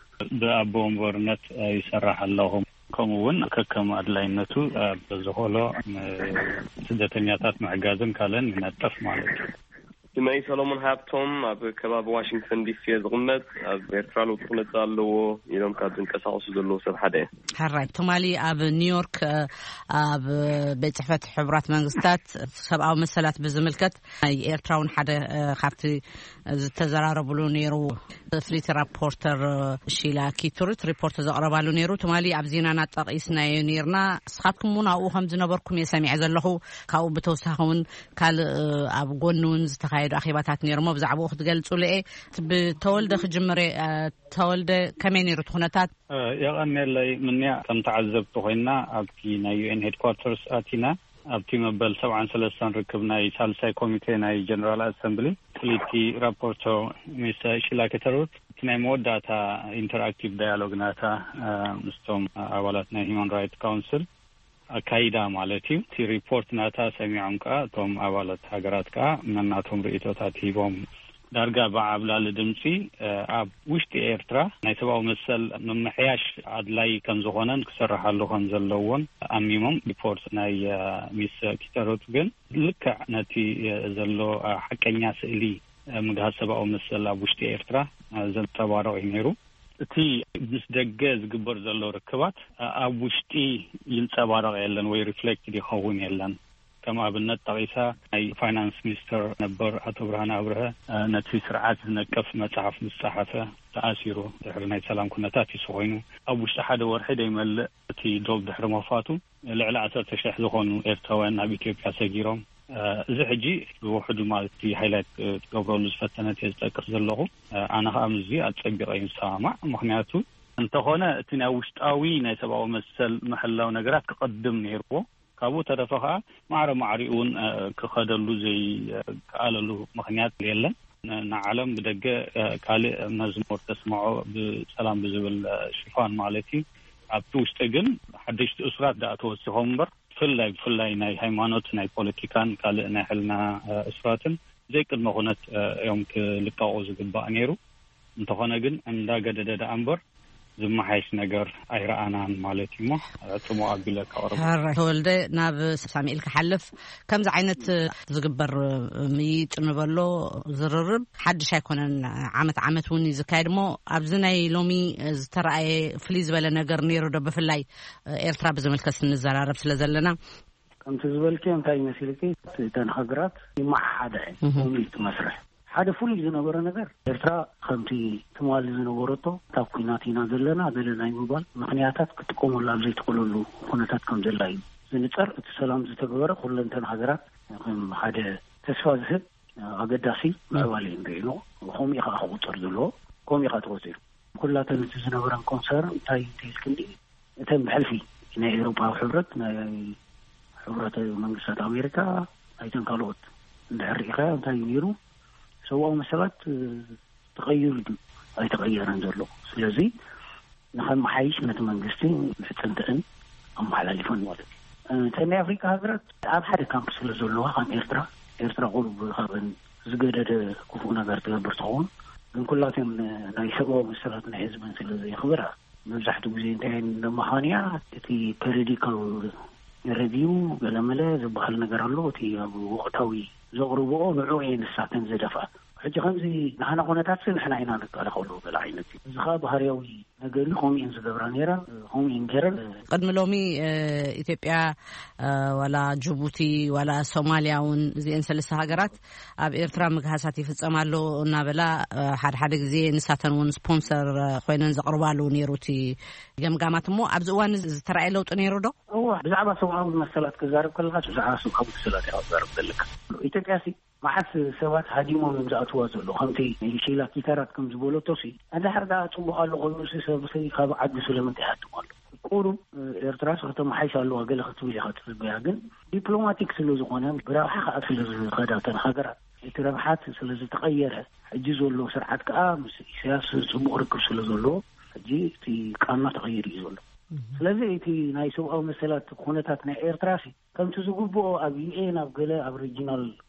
ብኣቦ ወንበርነት ይሰርሕ ኣለኹ። ከምኡ እውን ከከም ኣድላይነቱ ኣብ ዝኾሎ ስደተኛታት ምሕጋዝን ካልእን ይነጥፍ ማለት እዩ። ስመይ ሰሎሞን ሃብቶም፣ ኣብ ከባቢ ዋሽንግተን ዲሲ እየ ዝቕመጥ። ኣብ ኤርትራ ለውጢ ክመጽእ ኣለዎ ኢሎም ካብ ዝንቀሳቐሱ ዘለዉ ሰብ ሓደ እየ። ሕራይ፣ ትማሊ ኣብ ኒውዮርክ፣ ኣብ ቤት ጽሕፈት ሕቡራት መንግስታት ሰብኣዊ መሰላት ብዝምልከት፣ ናይ ኤርትራ እውን ሓደ፣ እ፣ ካብቲ ዝተዘራረብሉ ነይሩ። ፍልይቲ ራፖርተር ሺላ ኪቱርት ሪፖርት ዘቕረባሉ ነይሩ። ትማሊ ኣብ ዜናና ጠቒስናዮ ነይርና። ንስኻትኩም እውን ኣብኡ ከም ዝነበርኩም እየ ሰሚዐ ዘለኹ። ካብኡ ብተወሳኺ እውን ካልእ፣ እ፣ ኣብ ጎኒ እውን ዝተኻየዱ ኣኼባታት ነይሮሞ። ብዛዕባኡ ክትገልጹሉ እየ። ብተወልደ ክጅምር እየ። እ፣ ተወልደ፣ ከመይ ነይሩ እቲ ኩነታት? እ፣ የቐንየለይ ምንያ። ከም ተዓዘብቲ ኮይና ኣብቲ ናይ ዩ ኤን ሄድኳርተርስ ኣቲና፣ ኣብቲ መበል ሰብዓን ሰለስተን ርክብ ናይ ሳልሳይ ኮሚቴ ናይ ጀነራል ኣሰምብሊ፣ ፍልይቲ ራፖርቶ ሚስ ሺላ ኬተሩት፣ እቲ ናይ መወዳእታ ኢንተርኣክቲቭ ዳያሎግ ናታ፣ እ፣ ምስቶም ኣባላት ናይ ሂማን ራይት ካውንስል ኣካይዳ ማለት እዩ። እቲ ሪፖርት ናታ ሰሚዖም ከኣ፣ እቶም ኣባላት ሃገራት ከኣ ነናቶም ርእይቶታት ሂቦም፣ ዳርጋ ብዓብላሊ ድምጺ፣ እ፣ ኣብ ውሽጢ ኤርትራ ናይ ሰብኣዊ መሰል ምምሕያሽ ኣድላይ ከም ዝኾነን ክሰርሓሉ ከም ዘለዎን ኣሚሞም። ሪፖርት ናይ፣ እ፣ ሚስ ኪተሮት ግን ልክዕ ነቲ፣ እ፣ ዘሎ፣ እ፣ ሓቀኛ ስእሊ፣ እ፣ ምግሃስ ሰብኣዊ መሰል ኣብ ውሽጢ ኤርትራ፣ እ፣ ዘንጸባርቕ እዩ ነይሩ። እቲ ምስ ደገ ዝግበር ዘሎ ርክባት ኣብ ውሽጢ ይንጸባረቕ የለን ወይ ሪፍሌክት ይኸውን የለን። ከም ኣብነት ጠቒሳ፣ ናይ ፋይናንስ ሚኒስተር ነበር ኣቶ ብርሃነ ኣብርሀ ነቲ ስርዓት ዝነቅፍ መጽሓፍ ምስ ጸሓፈ ተኣሲሩ። ድሕሪ ናይ ሰላም ኩነታት እዩ ኮይኑ፣ ኣብ ውሽጢ ሓደ ወርሒ ደይመልእ እቲ ዶብ ድሕሪ መፋቱ ልዕሊ ዓሰርተ ሽሕ ዝኾኑ ኤርትራውያን ናብ ኢትዮጵያ ሰጊሮም። እዚ ሕጂ ብውሕዱ ማለት እቲ ሃይላይት ትገብረሉ ዝፈተነት እየ ዝጠቅስ ዘለኹ። ኣነ ከዓ ምስዚ ኣጸቢቐ እዩ ዝሰማማዕ። ምክንያቱ እንተኾነ እቲ ናይ ውሽጣዊ ናይ ሰብኣዊ መሰል ምሕላው ነገራት ክቐድም ነይርዎ። ካብኡ ተረፈ ከዓ ማዕረ ማዕሪኡ እውን ክኸደሉ ዘይከኣለሉ ምክንያት የለን። ንዓለም ብደገ ካልእ መዝሙር ተስምዖ ብሰላም ብዝብል ሽፋን ማለት እዩ። ኣብቲ ውሽጢ ግን ሓደሽቲ እሱራት ደኣ ተወሲኾም እምበር፣ ብፍላይ ብፍላይ ናይ ሃይማኖት፣ ናይ ፖለቲካን ካልእ ናይ ሕልና እሱራትን ዘይቅድመ ኩነት እዮም ክልቀቑ ዝግባእ ነይሩ። እንተኾነ ግን እንዳገደደ ደኣ እምበር ዝመሓየሽ ነገር ኣይረኣናን ማለት እዩ። እሞ ጽሙእ ኣቢለ ከቕርብ። ሕራይ ተወልደ፣ ናብ ሳሚኤል ክሓልፍ፣ ከምዚ ዓይነት ዝግበር ምይይጥ ንበሎ ዝርርብ ሓድሽ ኣይኮነን። ዓመት ዓመት እውን እዩ ዝካየድ። እሞ ኣብዚ ናይ ሎሚ ዝተረኣየ ፍልይ ዝበለ ነገር ነይሩ ዶ? ብፍላይ ኤርትራ ብዝምልከት ንዘራረብ ስለ ዘለና። ከምቲ ዝበልክዮ እንታይ መሲልኪ፣ እተን ሃገራት ይመሓሓዳ እየን። እህ። ከምኡ እዩ እቲ መስርሕ። ሓደ ፍሉይ ዝነበረ ነገር፣ ኤርትራ ከምቲ ትማሊ ዝነበረቶ እታ ኩናት ኢና ዘለና ገለ ናይ ምባል ምኽንያታት ክትጥቀመሉ ኣብ ዘይትኽእለሉ ኩነታት ከም ዘላ እዩ ዝንጸር። እቲ ሰላም ዝተገበረ ኩለንተን ሃገራት ከም ሓደ ተስፋ ዝህብ ኣገዳሲ ምዕባለ እዩ ንሪኦ። ከምኡ እዩ ከዓ ክቑጸር ዘለዎ፣ ከምኡ እዩ ከዓ ተቖጺሩ። ኩላተን እቲ ዝነበረን ኮንሰርን እንታይ እንተይልክኒ፣ እተን ብሕልፊ ናይ ኤውሮጳዊ ሕብረት፣ ናይ ሕብረት መንግስታት ኣሜሪካ፣ ናይተን ካልኦት እንድሕር ርኢኻዮ እንታይ እዩ ነይሩ? ሰብኣዊ መሰላት ተቐይሩ ድዩ ኣይተቐየረን ዘሎ? ስለዚ ንኸመሓይሽ ነቲ መንግስቲ ምሕጽንተእን ኣመሓላሊፈን ማለት እዩ። እተን ናይ ኣፍሪካ ሃገራት ኣብ ሓደ ካምፕ ስለ ዘለዋ፣ ከም ኤርትራ፣ ኤርትራ ቁሩብ ካብን ዝገደደ ክፉእ ነገር ትገብር ትኸውን፣ ግን ኩላተን ናይ ሰብኣዊ መሰላት ናይ ህዝብን ስለ ዘየኽብራ፣ መብዛሕትኡ ግዜ እንታይ ነመኻንያ፣ እቲ ፐሪዲካል ሬቪው ገለመለ ዝበሃል ነገር ኣሎ። እቲ ኣብ ወቕታዊ ዘቕርብኦ ንዑ እየ ንሳተን ዘደፍኣ። ሕጂ ከምዚ ንሓና ኩነታት ንሕና ኢና ንከላኸሉ ገለ ዓይነት እዩ። እዚ ኸዓ ባህርያዊ ነገር እዩ። ከምኡ እየን ዝገብራ ነይረን፣ ከምኡ እየን ገይረን። ቅድሚ ሎሚ ኢትዮጵያ ዋላ ጅቡቲ ዋላ ሶማልያ እውን እዚአን ሰለስተ ሃገራት ኣብ ኤርትራ ምግሃሳት ይፍጸም ኣሎ እናበላ ሓደ ሓደ ግዜ ንሳተን እውን ስፖንሰር ኮይነን ዘቕርባሉ ነይሩ እቲ ገምጋማት። እሞ ኣብዚ እዋን ዝተረኣየ ለውጢ ነይሩ ዶ? እዋ፣ ብዛዕባ ሰብኣዊ መሰላት ክዛረብ ከለካ ብዛዕባ ሰብኣዊ መሰላት እያ ክዛረብ ዘለካ። ኢትዮጵያ ሲ መዓስ ሰባት ሃዲሞም እዮም ዝኣትዋ ዘሎ? ከምቲ ሺላ ኪታራት ከም ዝበለቶ ሲ፣ እንድሕር ደኣ ጽቡቕ ኣሎ ኮይኑ ሲ፣ ሰብ ሲ ካብ ዓዱ ስለምንታይ ይሃድም ኣሎ? ቁሩብ ኤርትራ ሲ ከተመሓይሽ ኣለዋ ገለ ክትብል ኢኻ ትጽበያ፣ ግን ዲፕሎማቲክ ስለ ዝኾነ ብረብሓ ከዓ ስለ ዝኸዳ እተን ሃገራት፣ እቲ ረብሓት ስለ ዝተቐየረ፣ ሕጂ ዘሎ ስርዓት ከዓ ምስ ኢሳያስ ጽቡቕ ርክብ ስለ ዘለዎ፣ ሕጂ እቲ ቃና ተቐይሩ እዩ ዘሎ። ስለዚ እቲ ናይ ሰብኣዊ መሰላት ኩነታት ናይ ኤርትራ ሲ ከምቲ ዝግብኦ ኣብ ዩ ኤን ኣብ ገለ ኣብ ሪጂናል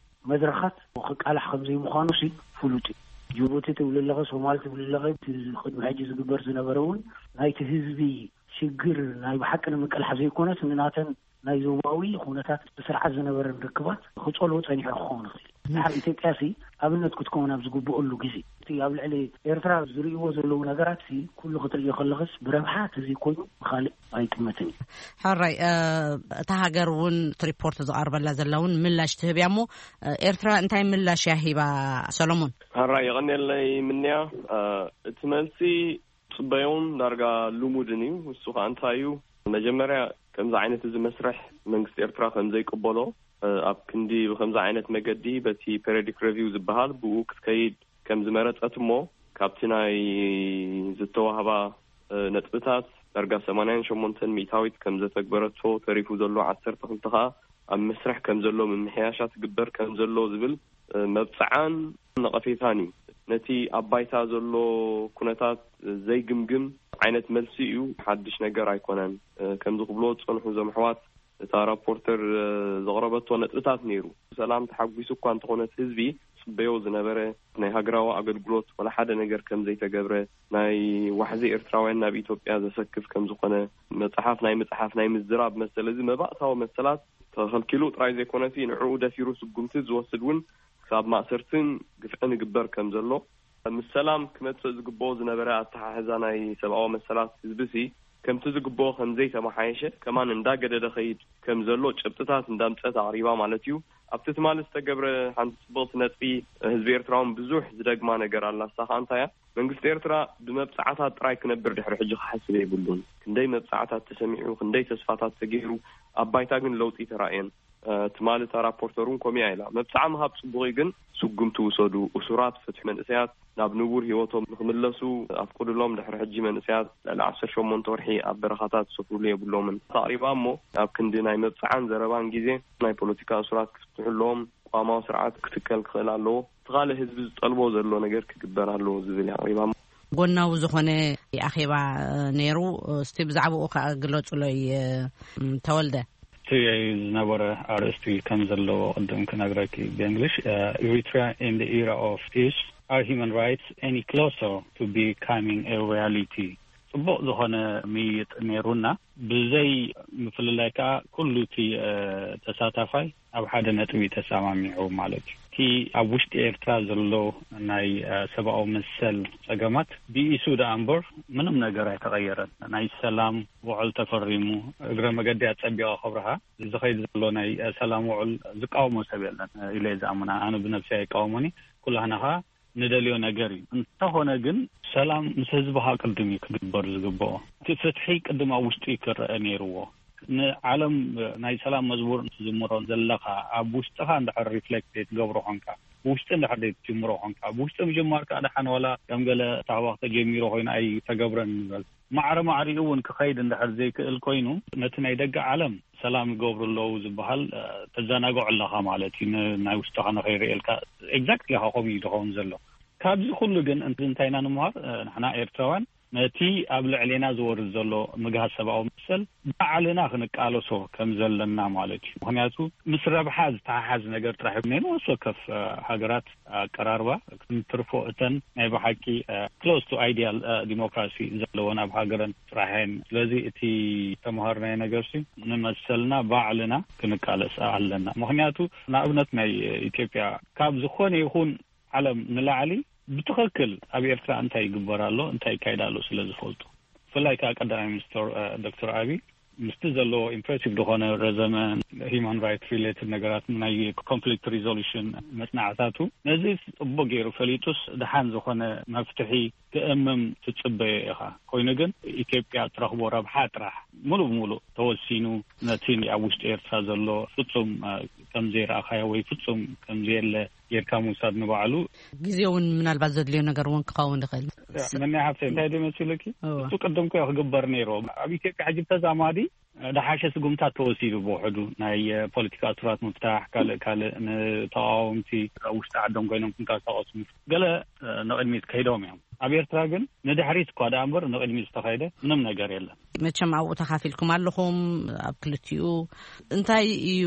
መድረኻት ክቃላሕ ከም ዘይምዃኑ ሲ ፍሉጥ እዩ። ጅቡቲ ትብል ኣለኸ፣ ሶማል ትብል ኣለኸ፣ እቲ ቅድሚ ሕጂ ዝግበር ዝነበረ እውን ናይቲ ህዝቢ ሽግር ናይ ብሓቂ ንምቅላሕ ዘይኮነስ ንናተን ናይ ዞባዊ ኩነታት ብስርዓት ዝነበረን ርክባት ክጸልዎ ጸኒሑ ክኸውን ይኽእል። ድሓር ኢትዮጵያ ሲ ኣብነት ክትከውን ኣብ ዝግብኦሉ ግዜ እቲ ኣብ ልዕሊ ኤርትራ ዝርእይዎ ዘለዉ ነገራት ሲ ኩሉ ክትርእዮ ከለኽስ ብረብሓ ተዘይኮይኑ ብኻልእ ኣይጥመትን እዩ። ሕራይ፣ እታ ሃገር እውን እቲ ሪፖርት ዝቐርበላ ዘላ እውን ምላሽ ትህብ እያ። እሞ ኤርትራ እንታይ ምላሽ እያ ሂባ? ሰሎሞን። ሕራይ፣ የቐንየለይ ምንያ። እቲ መልሲ ጽበዮን ዳርጋ ልሙድን እዩ። እሱ ከኣ እንታይ እዩ? መጀመርያ ከምዚ ዓይነት እዚ መስርሕ መንግስቲ ኤርትራ ከም ዘይቅበሎ፣ ኣብ ክንዲ ብከምዚ ዓይነት መገዲ በቲ ፔሪዮዲክ ሬቪው ዝበሃል ብኡ ክትከይድ ከም ዝመረጸት፣ እሞ ካብቲ ናይ ዝተዋህባ ነጥብታት ዳርጋ ሰማንያን ሸሞንተን ሚእታዊት ከም ዘተግበረቶ፣ ተሪፉ ዘሎ ዓሰርተ ክልተ ከኣ ኣብ መስርሕ ከም ዘሎ፣ ምምሕያሻት ክግበር ከም ዘሎ ዝብል መብጽዓን ነቐፌታን እዩ። ነቲ ኣብ ባይታ ዘሎ ኩነታት ዘይግምግም ዓይነት መልሲ እዩ። ሓድሽ ነገር ኣይኮነን። ከምዚ ክብሎ ዝጸንሑ እዞም ኣሕዋት፣ እታ ራፖርተር ዘቕረበቶ ነጥብታት ነይሩ። ሰላም ተሓጒሱ እኳ እንተኾነ፣ እቲ ህዝቢ ጽበዮ ዝነበረ ናይ ሃገራዊ ኣገልግሎት ዋላ ሓደ ነገር ከም ዘይተገብረ፣ ናይ ዋሕዚ ኤርትራውያን ናብ ኢትዮጵያ ዘሰክፍ ከም ዝኾነ፣ መጽሓፍ ናይ ምጽሓፍ ናይ ምዝራብ መሰል፣ እዚ መባእታዊ መሰላት ተኸልኪሉ ጥራይ ዘይኮነሲ፣ ንዕኡ ደፊሩ ስጉምቲ ዝወስድ እውን ክሳብ ማእሰርትን ግፍዕን ይግበር ከም ዘሎ፣ ምስ ሰላም ክመጽእ ዝግብኦ ዝነበረ ኣተሓሕዛ ናይ ሰብኣዊ መሰላት ህዝቢ ሲ ከምቲ ዝግብኦ ከም ዘይተመሓየሸ፣ ከማን እንዳገደደ ኸይድ ከም ዘሎ ጭብጥታት እንዳምጸት ኣቕሪባ ማለት እዩ። ኣብቲ ትማሊ ዝተገብረ ሓንቲ ጽብቕቲ ነጥቢ፣ ህዝቢ ኤርትራውን ብዙሕ ዝደግማ ነገር ኣላ። እሳ ኸኣ እንታይ እያ? መንግስቲ ኤርትራ ብመብጻዓታት ጥራይ ክነብር ድሕሪ ሕጂ ክሓስብ የብሉን። ክንደይ መብጻዓታት ተሰሚዑ፣ ክንደይ ተስፋታት ተገይሩ፣ ኣብ ባይታ ግን ለውጢ ተራእየን። ትማሊ እታ ራፖርተር እውን ኮሚያ ኢላ። መብጻዓ ምሃብ ጽቡቕ እዩ፣ ግን ስጉምቲ ውሰዱ። እሱራት ፍትሑ፣ መንእሰያት ናብ ንቡር ህይወቶም ንክምለሱ ኣፍቅዱሎም። ድሕሪ ሕጂ መንእሰያት ልዕሊ ዓሰርተ ሸሞንተ ወርሒ ኣብ በረኻታት ዝሰፍሩሉ የብሎምን። ኣቕሪባ እሞ፣ ኣብ ክንዲ ናይ መብጻዓን ዘረባን ግዜ፣ ናይ ፖለቲካ እሱራት ክፍትሑ ኣለዎም። ቅዋማዊ ስርዓት ክትከል ክኽእል ኣለዎ። እቲ ካልእ ህዝቢ ዝጠልቦ ዘሎ ነገር ክግበር ኣለዎ ዝብል ኣቕሪባ። ጎናዊ ዝኾነ ኣኼባ ነይሩ። እስቲ ብዛዕባኡ ከኣ ግለጹለይ፣ ተወልደ። እቲ ዝነበረ ኣርእስቲ ከም ዘለዎ ቅድም ክነግረኪ ብእንግሊሽ፣ Eritrea in the era of peace, are human rights any closer to becoming a reality? ጽቡቕ ዝኾነ ምይይጥ ነይሩና። ብዘይ ምፍልላይ ከኣ ኩሉ እቲ ተሳታፋይ ኣብ ሓደ ነጥቢ ተሰማሚዑ ማለት እዩ። እቲ ኣብ ውሽጢ ኤርትራ ዘሎ ናይ ሰብኣዊ መሰል ጸገማት ብኢሱ ደኣ እምበር ምንም ነገር ኣይተቐየረን። ናይ ሰላም ውዕል ተፈሪሙ፣ እግረ መገዲ ኣጸቢቐ ክብርሃ፣ ዝኸይድ ዘሎ ናይ ሰላም ውዕል ዝቃወሞ ሰብ የለን ኢለ እየ ዝኣምና። ኣነ ብነብሰይ ኣይቃወሞኒ። ኩላህና ኸኣ ንደልዮ ነገር እዩ። እንተኾነ ግን ሰላም ምስ ህዝብኻ ቅድም እዩ ክግበር ዝግብኦ። እቲ ፍትሒ ቅድም ኣብ ውሽጢ ክረአ ነይርዎ። ንዓለም ናይ ሰላም መዝሙር ትዝምሮ ዘለኻ፣ ኣብ ውሽጥኻ እንድሕር ሪፍሌክት ዘይትገብሮ ኾንካ፣ ብውሽጢ እንድሕር ዘይትጅምሮ ኾንካ፣ ብውሽጢ ምጅማር ከኣ ደሓን ዋላ ከም ገለ ታህዋኽ ተጀሚሩ ኮይኑ ኣይተገብረን ንበል። ማዕረ ማዕሪኡ እውን ክኸይድ እንድሕር ዘይክእል ኮይኑ፣ ነቲ ናይ ደገ ዓለም ሰላም ይገብሩ ኣለዉ ዝበሃል ተዘናግዖ ኣለኻ ማለት እዩ። ን-፣ ናይ ውሽጥኻ ንኸይርእየልካ ኤግዛክትሊ ኢኻ ከምኡ እዩ ዝኸውን ዘሎ። ካብዚ ኩሉ ግን እንት-፣ እንታይ ኢና ንምሃር? ንሕና ኤርትራውያን ነቲ ኣብ ልዕሌና ዝወርድ ዘሎ ምግሃስ ሰብኣዊ መሰል ባዕልና ክንቃለሶ ከም ዘለና ማለት እዩ። ምኽንያቱ ምስ ረብሓ ዝተሓሓዝ ነገር ጥራሕ ነይኑ፣ ነፍሲ ወከፍ ሃገራት ኣቀራርባ፣ ክንትርፎ እተን ናይ ብሓቂ ክሎዝ ቱ ኣይዲያል ዲሞክራሲ ዘለወን ኣብ ሃገረን ጥራሕ እየን። ስለዚ እቲ ተምሃርናዮ ነገር ሲ ንመሰልና ባዕልና ክንቃለስ ኣለና። ምኽንያቱ ንኣብነት ናይ ኢትዮጵያ ካብ ዝኾነ ይኹን ዓለም ንላዕሊ ብትኽክል ኣብ ኤርትራ እንታይ ይግበር ኣሎ፣ እንታይ ይካየድ ኣሎ ስለ ዝፈልጡ። ብፍላይ ከዓ ቀዳማይ ሚኒስትር ዶክተር ኣቢ ምስቲ ዘለዎ ኢምፕሬሲቭ ዝኾነ ረዘመ ሂማን ራይት ሪሌትድ ነገራት ናይ ኮንፍሊክት ሪዞሉሽን መፅናዕታቱ ነዚ ፅቡቅ ገይሩ ፈሊጡስ ደሓን ዝኾነ መፍትሒ ክእምም ትፅበዮ ኢኻ። ኮይኑ ግን ኢትዮጵያ ትረኽቦ ረብሓ ጥራሕ ሙሉእ ብሙሉእ ተወሲኑ ነቲ ኣብ ውሽጢ ኤርትራ ዘሎ ፍፁም ከም ዘይረኣኻዮ ወይ ፍፁም ከም ዘየለ ጌርካ ምውሳድ ንባዕሉ ግዜ እውን ምናልባት ዘድልዮ ነገር እውን ክኸውን ይኽእል። መን ሓፍተ እንታይ ዶ መሲሉኪ? እሱ ቅድም ኮ ክግበር ነይሩ። ኣብ ኢትዮጵያ ሕጂ ተዛማዲ ደሓሸ ስጉምታት ተወሲዱ ብውሕዱ ናይ ፖለቲካ እሱራት ምፍታሕ፣ ካልእ ካልእ ንተቃወምቲ ውሽጢ ዓዶም ኮይኖም ክንቀሳቀሱ ገለ ንቅድሚት ከይዶም እዮም። ኣብ ኤርትራ ግን ንድሕሪት እኳ ደኣ እምበር ንቅድሚት ዝተኸይደ ምንም ነገር የለን። መቸም ኣብኡ ተኻፊልኩም ኣለኹም። ኣብ ክልቲኡ እንታይ እዩ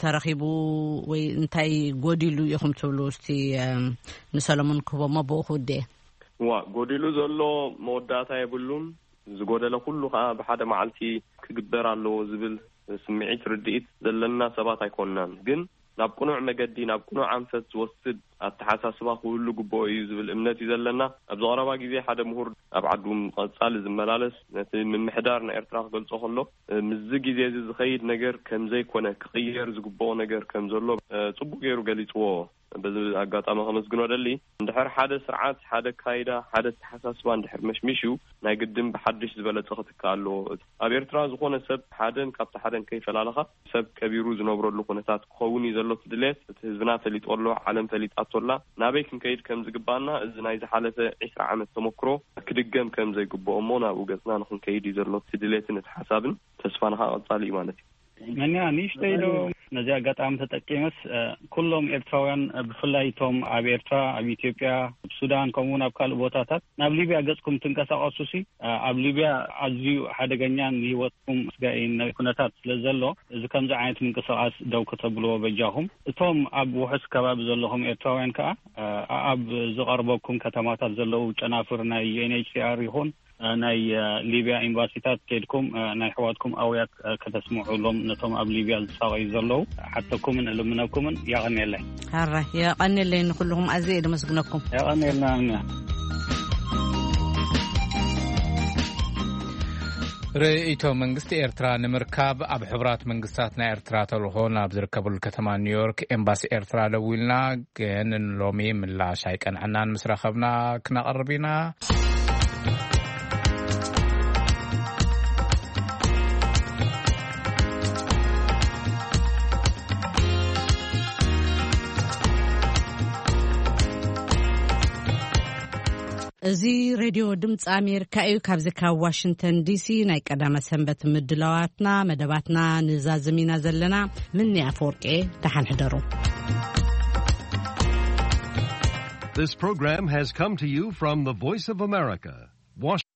ተረኺቡ ወይ እንታይ ጎዲሉ ኢኹም ትብሉ? እስቲ ንሰለሙን ክህቦሞ ብኡ ክውደ። ዋ፣ ጎዲሉ ዘሎ መወዳእታ የብሉን። ዝጎደለ ኩሉ ከዓ ብሓደ መዓልቲ ክግበር ኣለዎ ዝብል ስምዒት ርድኢት ዘለና ሰባት ኣይኮንናን። ግን ናብ ቅኑዕ መገዲ፣ ናብ ቅኑዕ ኣንፈት ዝወስድ ኣተሓሳስባ ክህሉ ግብኦ እዩ ዝብል እምነት እዩ ዘለና። ኣብዚ ቀረባ ግዜ ሓደ ምሁር ኣብ ዓዱ ቀጻሊ ዝመላለስ፣ ነቲ ምምሕዳር ናይ ኤርትራ ክገልጾ ከሎ፣ ምስዚ ግዜ እዚ ዝኸይድ ነገር ከም ዘይኮነ፣ ክቕየር ዝግብኦ ነገር ከም ዘሎ ጽቡቅ ገይሩ ገሊጽዎ። በዚ ኣጋጣሚ ከመስግኖ ደሊ። እንድሕር ሓደ ስርዓት፣ ሓደ ካይዳ፣ ሓደ ኣተሓሳስባ እንድሕር መሽሚሽዩ፣ ናይ ግድን ብሓድሽ ዝበለጸ ክትካእ ኣለዎ። ኣብ ኤርትራ ዝኾነ ሰብ ሓደን ካብቲ ሓደን ከይፈላለኻ ሰብ ከቢሩ ዝነብረሉ ኩነታት ክኸውን እዩ ዘሎ እቲ ድሌት። እቲ ህዝብና ፈሊጡ ኣሎ፣ ዓለም ፈሊጣቶ ኣላ። ናበይ ክንከይድ ከም ዝግባና እዚ ናይ ዝሓለፈ ዒስራ ዓመት ተመክሮ ክድገም ከም ዘይግብኦ እሞ ናብኡ ገጽና ንክንከይድ እዩ ዘሎ እቲ ድሌትን እቲ ሓሳብን። ተስፋና ከዓ ቀጻሊ እዩ ማለት እዩ። መን ንእሽተይ ዶ ነዚ ኣጋጣሚ ተጠቂመስ፣ ኩሎም ኤርትራውያን፣ ብፍላይ እቶም ኣብ ኤርትራ፣ ኣብ ኢትዮጵያ፣ ኣብ ሱዳን፣ ከምኡ እውን ኣብ ካልእ ቦታታት ናብ ሊብያ ገጽኩም ትንቀሳቀሱ ሲ፣ ኣብ ሊብያ ኣዝዩ ሓደገኛን ንህይወትኩም ኣስጋኢን ኩነታት ስለ ዘሎ፣ እዚ ከምዚ ዓይነት ምንቅስቃስ ደው ከተብልዎ በጃኹም። እቶም ኣብ ውሑስ ከባቢ ዘለኹም ኤርትራውያን ከኣ፣ ኣብ ዝቐርበኩም ከተማታት ዘለዉ ጨናፍር ናይ ዩ ኤን ኤች ሲ ኣር ይኹን ናይ ሊብያ ኤምባሲታት ከድኩም ናይ ኣሕዋትኩም ኣውያት ከተስምዑሎም ነቶም ኣብ ሊብያ ዝሳቐዩ ዘለዉ ሓተኩምን እልምነኩምን። የቐንየለይ። ሕራይ የቐንየለይ፣ ንኹልኹም ኣዝየ እየ ደመስግነኩም። የቐንየልና። ርእይቶ መንግስቲ ኤርትራ ንምርካብ ኣብ ሕቡራት መንግስታት ናይ ኤርትራ ተልእኾ ናብ ዝርከበሉ ከተማ ኒውዮርክ ኤምባሲ ኤርትራ ደዊልና፣ ግን ሎሚ ምላሽ ኣይቀንዐናን። ምስ ረኸብና ክነቕርብ ኢና። እዚ ሬድዮ ድምፂ ኣሜሪካ እዩ። ካብዚ ካብ ዋሽንግተን ዲሲ ናይ ቀዳመ ሰንበት ምድላዋትና፣ መደባትና ንዛዝም ኢና ዘለና። ምኒ ኣፈወርቂ፣ ደሓን ሕደሩ። This program has come to you from the Voice of America, Washington.